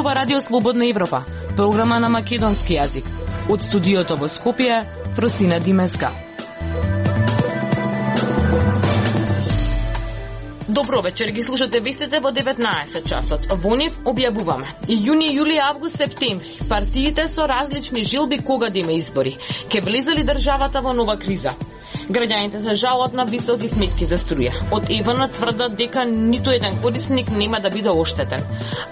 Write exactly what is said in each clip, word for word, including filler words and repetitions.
ова Радио Слободна Европа, програма на македонски јазик. Од студиото во Скопје, Фросина Димеска. Добро вечер, ги слушате вестите во деветнаесет часот. Во нив објавуваме. И јуни, јули, август, септември. Партиите со различни жилби кога да има избори. Ке влезе ли државата во нова криза? Граѓаните се жалат на високи сметки за струја. Од ЕВН тврдат дека ниту еден корисник нема да биде оштетен.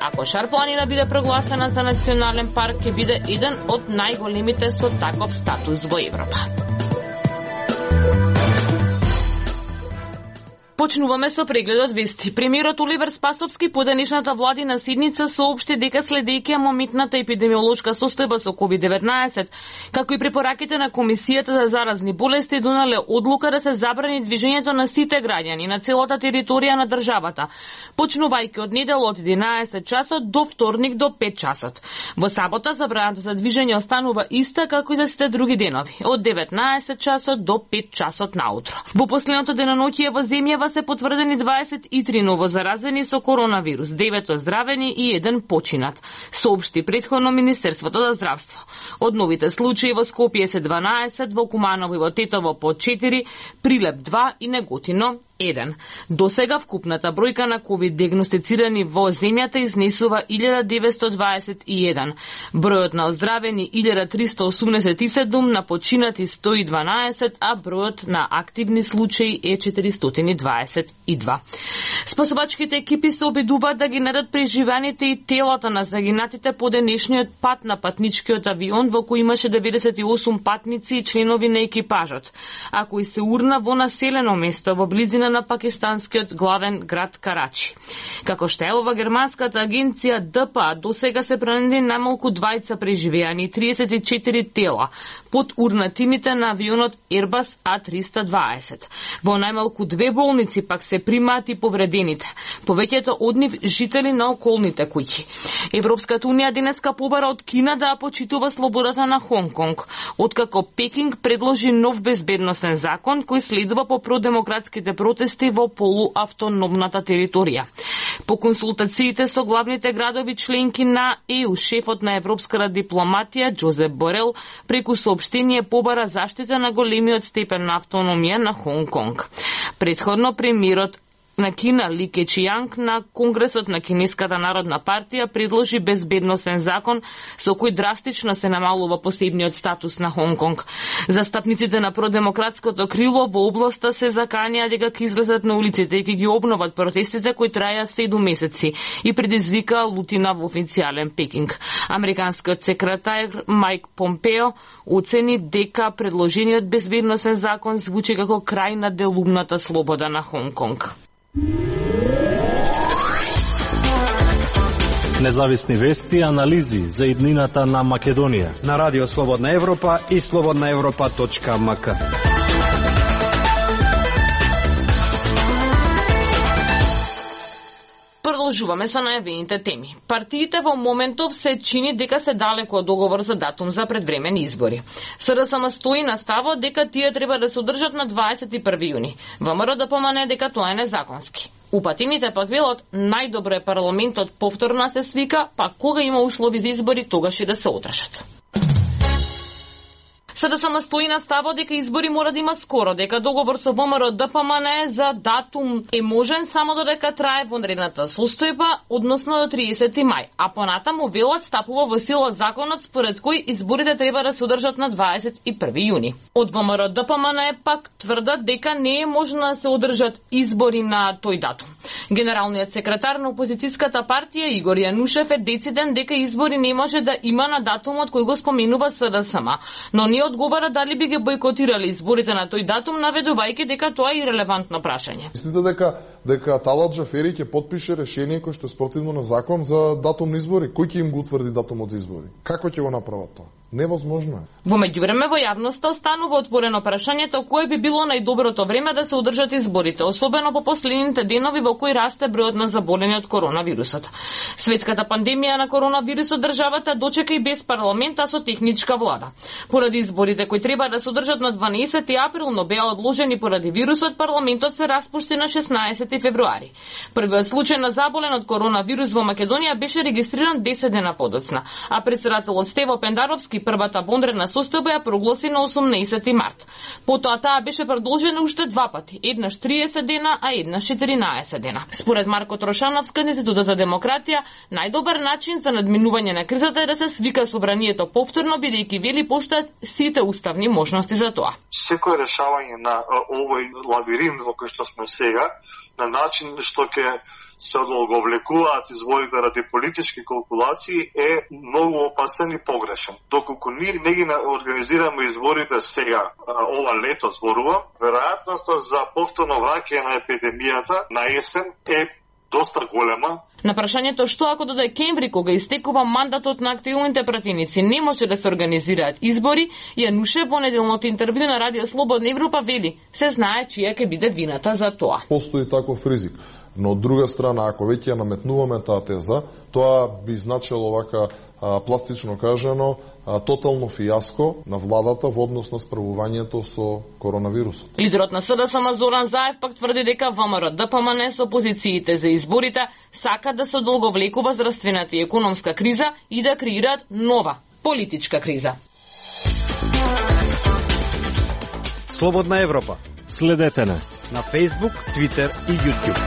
Ако Шар планина биде прогласена за национален парк, ќе биде еден од најголемите со таков статус во Европа. Почнуваме со прегледот вести. Премиерот Оливер Спасовски по денешната владина седница соопшти дека следејќи моментната епидемиолошка состојба со ковид деветнаесет, како и препораките на Комисијата за заразни болести, донале одлука да се забрани движењето на сите граѓани на целата територија на државата, почнувајќи од недела од единаесет часот до вторник до пет часот. Во сабота забраната за движење останува иста како и за сите други денови, од деветнаесет часот до пет часот наутро. Во последното деноноќие во земјава се потврдени дваесет и три новозаразени со коронавирус, девет оздравени и еден починат, соопшти претходно Министерството за здравство. Од новите случаи во Скопје се дванаесет, во Куманово и во Тетово по четири, Прилеп два и Неготино еден. До сега вкупната бројка на ковид диагностицирани во земјата изнесува илјада деветстотини дваесет и еден. Бројот на оздравени илјада триста осумдесет и седум, на починати сто и дванаесет, а бројот на активни случаи е четиристотини дваесет и два. Спасувачките екипи се обидуваат да ги најдат преживеаните и телата на загинатите по денешниот пат на патничкиот авион во кој имаше деветдесет и осум патници и членови на екипажот, а кој се урна во населено место во близина на пакистанскиот главен град Карачи. Како што ова германската агенција Д П А, до сега се пронајдени најмалку двајца преживеани и триесет и четири тела под урнатините на авионот Airbus А триста дваесет. Во најмалку две болници пак се примаат и повредените, повеќето од нив жители на околните куќи. Европската унија денеска побара од Кина да ја почитува слободата на Хонг Конг, откако Пекинг предложи нов безбедносен закон кој следува по продемократските протести во полуавтономната територија. По консултациите со главните градови членки на Е У, шефот на европската дипломатија Джозеп Борел преку соопштение побара заштита на големиот степен на автономија на Хонг Конг. Предходно премиерот на Кина Ли Кечијанг на Конгресот на Кинеската народна партија предложи безбедносен закон со кој драстично се намалува посебниот статус на Хонг Конг. Застапниците на продемократското крило во областа се заканија дека ќе излезат на улиците и ќе ги обноват протестите кои траја седум месеци и предизвика лутина во официјален Пекинг. Американскиот секретар Мајк Помпео оцени дека предложениот безбедносен закон звучи како крај на делумната слобода на Хонг Конг. Независни вести и анализи за иднината на Македонија на Радио Слободна Европа и слободна европа точка ем ка. Продолжуваме со најавените теми. Партиите во моментов се чини дека се далеко од договор за датум за предвремени избори. СДСМ стои на ставот дека тие треба да се одржат на дваесет и први јуни. ВМРО да помане дека тоа е незаконски. Упатините пак велат најдобро е парламентот повторно се свика, па кога има услови за избори, тогаш и да се одржат. СДСМ стои на ставот дека избори мора да има скоро, дека договор со ВМРО Д П М Н за датум е можен само додека трае вонредната состојба, односно до триесети мај, а понатаму велат стапува во сила законот според кој изборите треба да се одржат на дваесет и први јуни. Од ВМРО Д П М Н пак тврдат дека не е можно да се одржат избори на тој датум. Генералниот секретар на опозицијската партија Игор Јанушев е дециден дека избори не може да има на датумот кој го споменува СДСМ, но не одговара дали би ги бойкотирали изборите на тој датум, наведувајќи дека тоа е ирелевантно прашање. Мислите дека дека Талат Джафери ќе потпише решение кој што е спротивно на закон за датум на избори? Кој ќе им го утврди датумот за избори? Како ќе го направат тоа? Невозможно е. Во меѓувреме во јавноста останува отворено прашањето кое би било најдоброто време да се одржат изборите, особено по последните денови во кои расте бројот на заболени од коронавирусот. Светската пандемија на коронавирусот државата дочека и без парламент, а со техничка влада. Поради изборите кои треба да се одржат на дванаесети април, но беа одложени поради вирусот, парламентот се распушти на шеснаесети февруари. Првиот случај на заболен од коронавирус во Македонија беше регистриран десет дена подоцна, а претседателот Стево Пендаровски првата вонредна состојба ја прогласи на осумнаесети март. Потоа таа беше продолжена уште два пати, еднаш триесет дена, а еднаш четиринаесет дена. Според Марко Трошановски од Институтот за демократија, најдобар начин за надминување на кризата е да се свика собранието повторно, бидејќи вели постојат сите уставни можности за тоа. Секој решавање на овој лабиринт во кој што сме сега, на начин што ќе се одолговлекуваат изборите ради политички калкулации е многу опасен и погрешен. Доколку ние не ги организираме изборите сега, ова лето зборувам, веројатноста за повторно враќање на епидемијата на есен е доста голема. На прашањето што ако до декември, кога истекува мандатот на активните пратеници, не може да се организираат избори, Јанушев во неделното интервју на Радио Слободна Европа вели, се знае чија ќе биде вината за тоа. Постои таков ризик. Но од друга страна, ако веќе ја наметнуваме таа теза, тоа би значило вака а, пластично кажано а, тотално фијаско на владата во однос на справувањето со коронавирусот. Лидерот на СДСМ Зоран Заев пак тврди дека ВМРО ДПМН со опозициите за изборите сака да се одолговлекува здравствената и економска криза и да креираат нова политичка криза. Слободна Европа. Следете не на Facebook, Twitter и YouTube.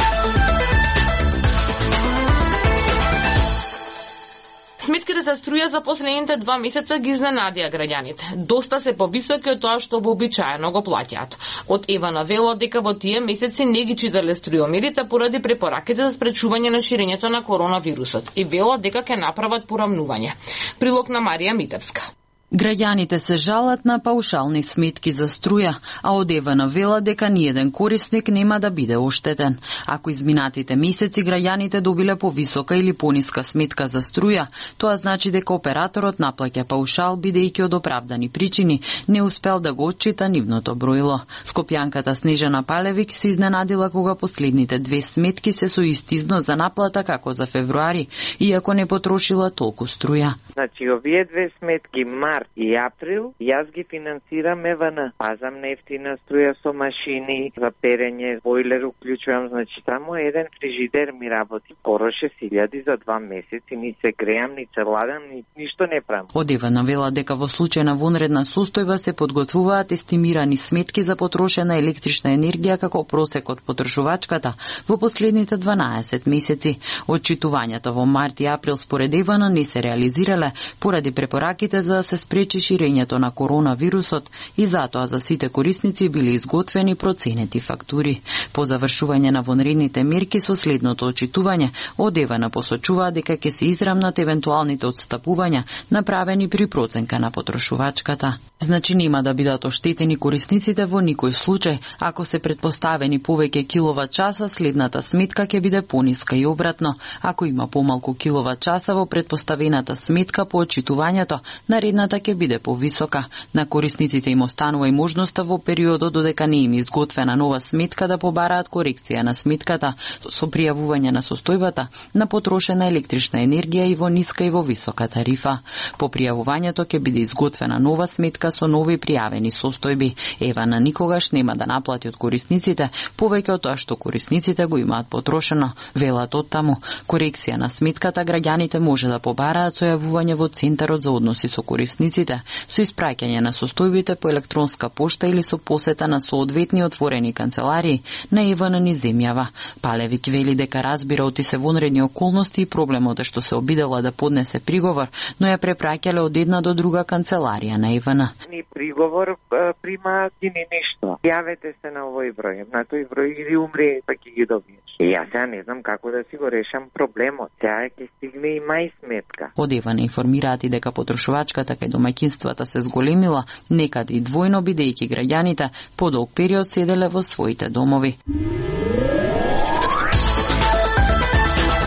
Сметките за струја за последните два месеца ги изненадија граѓаните. Доста се повисоки од тоа што вообичаено го плаќаат. Од Евана вело дека во тие месеци не ги читале струјомерите поради препораките за спречување на ширењето на коронавирусот и вело дека ќе направат порамнување. Прилог на Марија Митевска. Граѓаните се жалат на паушални сметки за струја, а од Евана вела дека ниеден корисник нема да биде оштетен. Ако изминатите месеци граѓаните добиле повисока или пониска сметка за струја, тоа значи дека операторот наплаќа паушал бидејќи од оправдани причини не успел да го отчита нивното бројло. Скопјанката Снежана Палевик се изненадила кога последните две сметки се со ист износ за наплата како за февруари, иако не потрошила толку струја. Значи, овие две сметки март и април, јас ги финансирам Евана. Пазам нефтина струја со машини, за перење, бойлер уклучувам, значи само еден фрижидер ми работи. Скоро шест илјади за два месеци, ни се греам, ни се ладам, ни ништо не правам. Од Евана вела дека во случај на вонредна состојба се подготвуваат естимирани сметки за потрошена електрична енергија како просек од потрошувачката во последните дванаесет месеци. Отчитувањата во март и април според Евана не се реализирале поради препораките за да се спречи ширењето на коронавирусот и затоа за сите корисници биле изготвени проценети фактури. По завршување на вонредните мерки со следното отчитување, од Евана посочува дека ќе се израмнат евентуалните отстапувања направени при проценка на потрошувачката. Значи нема да бидат оштетени корисниците во никој случај, ако се предпоставени повеќе киловат часа, следната сметка ќе биде пониска и обратно. Ако има помалку киловат часа во предпоставената сметка по отчитувањето, наредната ќе биде повисока. На корисниците им останува и можноста во периодот додека не им изготвена нова сметка да побараат корекција на сметката со пријавување на состојбата на потрошена електрична енергија и во ниска и во висока тарифа. По пријавувањето ќе биде изготвена нова сметка со нови пријавени состојби. Евана никогаш нема да наплати од корисниците повеќе од тоа што корисниците го имаат потрошено. Велат оттаму, корекција на сметката граѓаните може да побараат со јавување во Центарот за односи со корисниците, со испраќање на состојбите по електронска пошта или со посета на соодветни отворени канцеларии на Евана низ земјава. Палевик вели дека разбира оти се вонредни околности и проблемот е што се обидела да поднесе приговор, но ја препраќале од една до друга канцеларија на Евана. Ни приговор примаат и ни ништо. Јавете се на овој број, на тој број или умре, па ќе ги добиеш. И јас сега не знам како да си го решам проблемот. Сега ќе стигне и мај сметка. Од Евана информираат и дека потрошувачката кај домаќинствата се зголемила, некаде и двојно бидејќи граѓаните подолг период седеле во своите домови.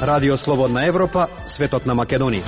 Радио Слободна Европа, светот на Македонија.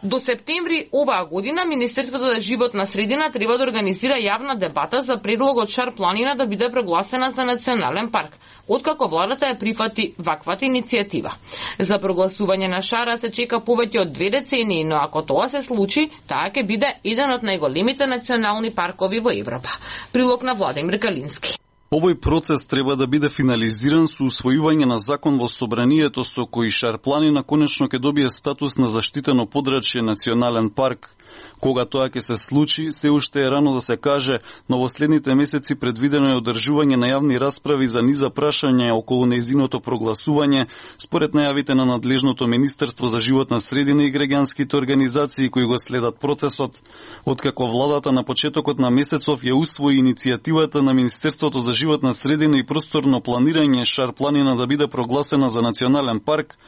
До септември оваа година Министерството за животна средина треба да организира јавна дебата за предлогот Шар планина да биде прогласена за национален парк, откако владата ја прифати ваквата иницијатива. За прогласување на Шара се чека повеќе од две децении, но ако тоа се случи, таа ќе биде еден од најголемите национални паркови во Европа. Прилог на Владимир Калински. Овој процес треба да биде финализиран со усвојување на закон во собранието со кој Шар планина конечно ќе добие статус на заштитено подрачје национален парк. Кога тоа ќе се случи, се уште е рано да се каже, но во следните месеци предвидено е одржување на јавни расправи за низа прашања околу нејзиното прогласување, според најавите на надлежното Министерство за животна средина и граѓанските организации кои го следат процесот. Откако владата на почетокот на месецов ја усвои иницијативата на Министерството за животна средина и просторно планирање Шар планина да биде прогласена за национален парк,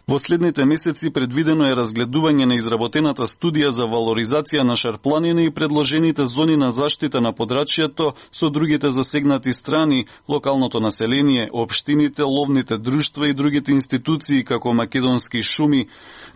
во следните месеци предвидено е разгледување на изработената студија за валоризација на Шар планина и предложените зони на заштита на подрачјето со другите засегнати страни, локалното население, општините, ловните друштва и другите институции како македонски шуми.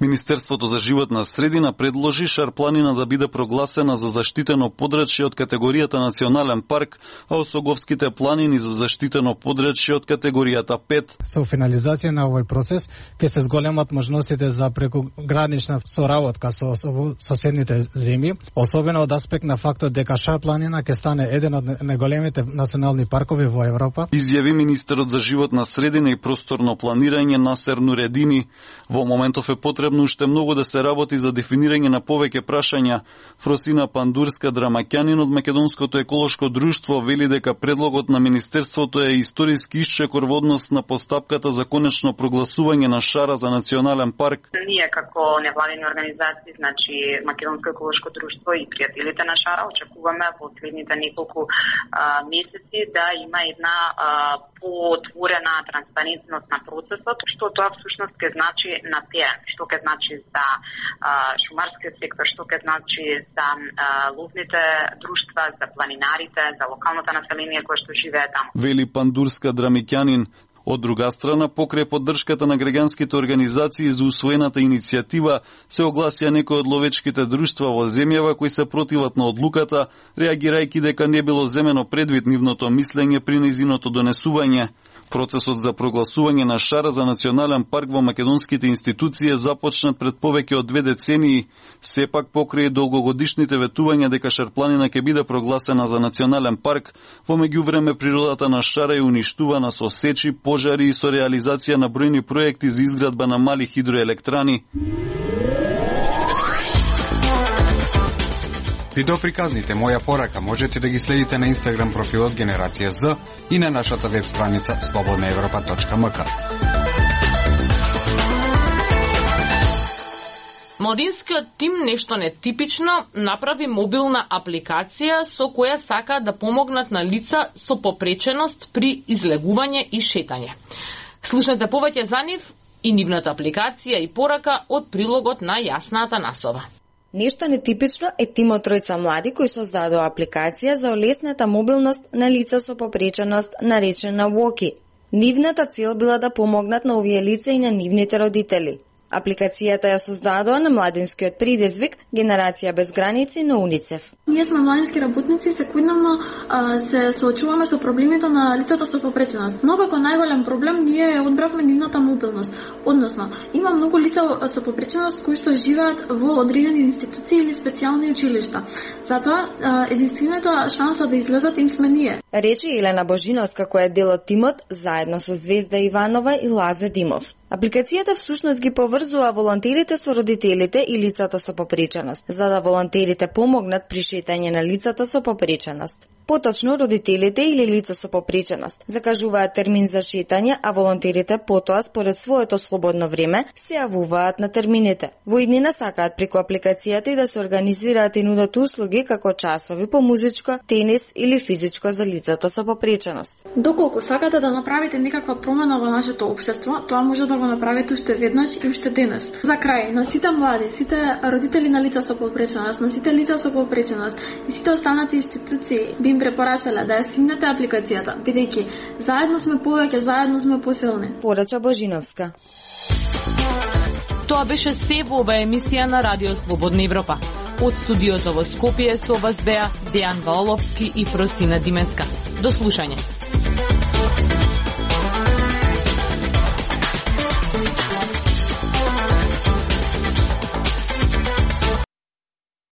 Министерството за животна средина предложи Шар планина да биде прогласена за заштитено подрачје од категоријата национален парк, а Осоговските планини за заштитено подрачје од категоријата пет. Со финализација на овој процес ќе се зголемат можностите за прекогранична соработка со соседните земји, особено од аспект на фактот дека Шар планина ќе стане еден од најголемите национални паркови во Европа. Изјави министерот за животна средина и просторно планирање Насер Нуредини. Во моментов е потребно уште многу да се работи за дефинирање на повеќе прашања. Фросина Пандурска Драмаќанин од Македонското еколошко друштво вели дека предлогот на Министерството е историски исчекор во однос на постапката за конечно прогласување на Шара за национален парк. Ние како невладини организации, значи Македонско еколошко друштво и пријателите на Шара, очекуваме во следните неколку а, месеци да има една а, поотворена транспарентност на процесот, што тоа всушност ќе значи на терен, што ќе значи за а, шумарскиот сектор, што ќе значи за а, ловните друштва, за планинарите, за локалното население кое што живее таму. Вели Пандурска Драмиќанин. Од друга страна, покрај поддршката на граѓанските организации за усвоената иницијатива, се огласија некои од ловечките друштва во земјава кои се противат на одлуката, реагирајќи дека не било земено предвид нивното мислење при нејзиното донесување. Процесот за прогласување на Шара за национален парк во македонските институции е започнат пред повеќе од две децении. Сепак, покрај долгогодишните ветувања дека Шар планина ќе биде прогласена за национален парк, во меѓувреме природата на Шара е уништувана со сечи, пожари и со реализација на бројни проекти за изградба на мали хидроелектрани. Видеоприказните Моја порака можете да ги следите на Инстаграм профилот Генерација З и на нашата веб страница слободна европа точка ем ка. Младинскиот тим нешто нетипично направи мобилна апликација со која сака да помогнат на лица со попреченост при излегување и шетање. Слушнете повеќе за нив и нивната апликација и порака од прилогот на Јасна Атанасова. Нешто нетипично е тимот тројца млади кои создадоа апликација за олесната мобилност на лица со попреченост наречена Walkie. Нивната цел била да помогнат на овие лица и на нивните родители. Апликацијата ја создадоа на младинскиот предизвик Генерација без граници на УНИЦЕФ. Ние сме младински работници, секојдневно се соочуваме со проблемите на лицата со попреченост. Но како најголем проблем ние одбравме нивната мобилност. Односно, има многу лица со попреченост кои што живеат во одредени институции или специјални училишта. Затоа единствената шанса да излезат им сме ние. Рече Елена Божиновска која е дел од тимот заедно со Звезда Иванова и Лазе Димов. Апликацијата всушност ги поврзува волонтерите со родителите и лицата со попреченост, за да волонтерите помогнат при шетање на лицата со попреченост. Поточно, родителите или лица со попреченост закажуваат термин за шетање, а волонтерите потоа, според своето слободно време, се јавуваат на термините. Во иднина сакаат преку апликацијата и да се организираат и нудат услуги како часови по музичко, тенис или физичко за лицата со попреченост. Доколку сакате да направите некаква промена во нашето општество, тоа може да го направите уште веднаш и уште денес. За крај, на сите млади, сите родители на лица со попреченост, на сите лица со попреченост и сите останати институции би им препорачале да ја симнете апликацијата, бидејќи заедно сме повеќе, заедно сме посилни. Порача Божиновска. Тоа беше се во ова емисија на Радио Слободна Европа. Од студиото во Скопје со вас беа Дејан Валовски и Фросина Димеска. До слушање.